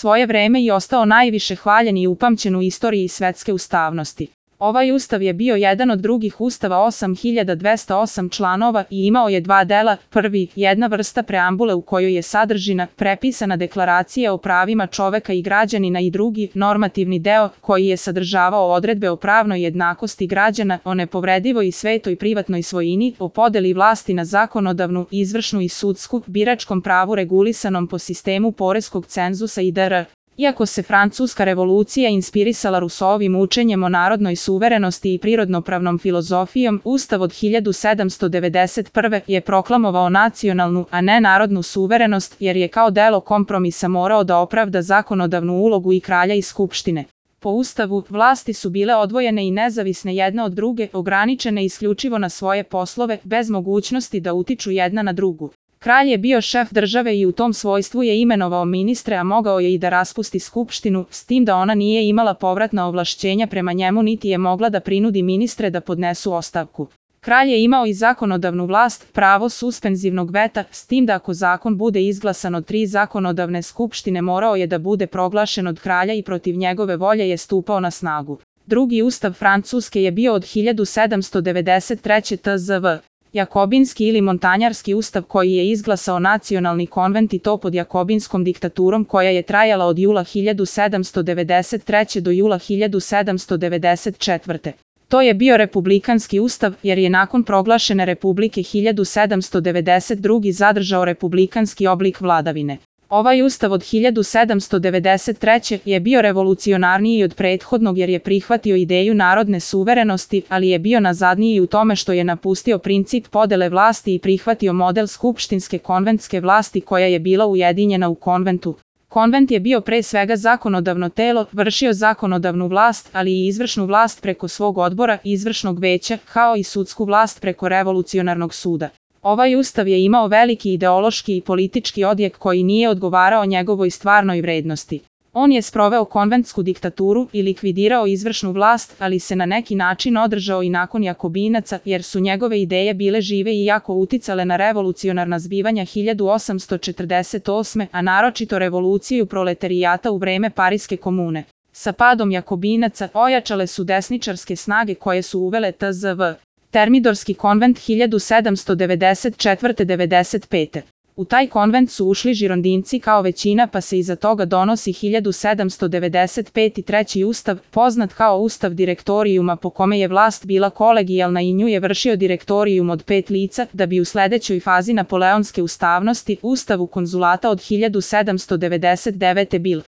svoje vreme i ostao najviše hvaljen i upamćen u istoriji svetske ustavnosti. Ovaj ustav je bio jedan od drugih ustava 8208 članova i imao je dva dela. Prvi, jedna vrsta preambule u kojoj je sadržina prepisana deklaracija o pravima čoveka i građanina, i drugi, normativni deo, koji je sadržavao odredbe o pravnoj jednakosti građana, o nepobredivoj i svetoj privatnoj svojini, o podeli vlasti na zakonodavnu, izvršnu i sudsku, biračkom pravu regulisanom po sistemu poreskog cenzusa itd. Iako se Francuska revolucija inspirisala Rousseauovim učenjem o narodnoj suverenosti i prirodnopravnom filozofijom, Ustav od 1791. je proklamovao nacionalnu, a ne narodnu suverenost, jer je kao delo kompromisa morao da opravda zakonodavnu ulogu i kralja i skupštine. Po Ustavu, vlasti su bile odvojene i nezavisne jedna od druge, ograničene isključivo na svoje poslove, bez mogućnosti da utiču jedna na drugu. Kralj je bio šef države i u tom svojstvu je imenovao ministre, a mogao je i da raspusti skupštinu, s tim da ona nije imala povratna ovlašćenja prema njemu niti je mogla da prinudi ministre da podnesu ostavku. Kralj je imao i zakonodavnu vlast, pravo suspenzivnog veta, s tim da ako zakon bude izglasan od 3 zakonodavne skupštine morao je da bude proglašen od kralja i protiv njegove volje je stupao na snagu. Drugi ustav Francuske je bio od 1793. tzv. Jakobinski ili montanjarski ustav koji je izglasao nacionalni konvent i to pod jakobinskom diktaturom koja je trajala od jula 1793. do jula 1794. To je bio republikanski ustav jer je nakon proglašene republike 1792. zadržao republikanski oblik vladavine. Ovaj ustav od 1793. je bio revolucionarniji od prethodnog jer je prihvatio ideju narodne suverenosti, ali je bio nazadniji u tome što je napustio princip podele vlasti i prihvatio model skupštinske konventske vlasti koja je bila ujedinjena u konventu. Konvent je bio pre svega zakonodavno telo, vršio zakonodavnu vlast, ali i izvršnu vlast preko svog odbora, izvršnog veća, kao i sudsku vlast preko revolucionarnog suda. Ovaj ustav je imao veliki ideološki i politički odjek koji nije odgovarao njegovoj stvarnoj vrednosti. On je sproveo konventsku diktaturu i likvidirao izvršnu vlast, ali se na neki način održao i nakon Jakobinaca, jer su njegove ideje bile žive i jako uticale na revolucionarna zbivanja 1848. a naročito revoluciju proletarijata u vreme Pariske komune. Sa padom Jakobinaca ojačale su desničarske snage koje su uvele tzv. Termidorski konvent 1794-95. U taj konvent su ušli žirondinci kao većina pa se iza toga donosi 1795. treći ustav, poznat kao ustav direktorijuma po kome je vlast bila kolegijalna i nju je vršio direktorijum od 5 lica, da bi u sledećoj fazi napoleonske ustavnosti, ustavu konzulata od 1799. bil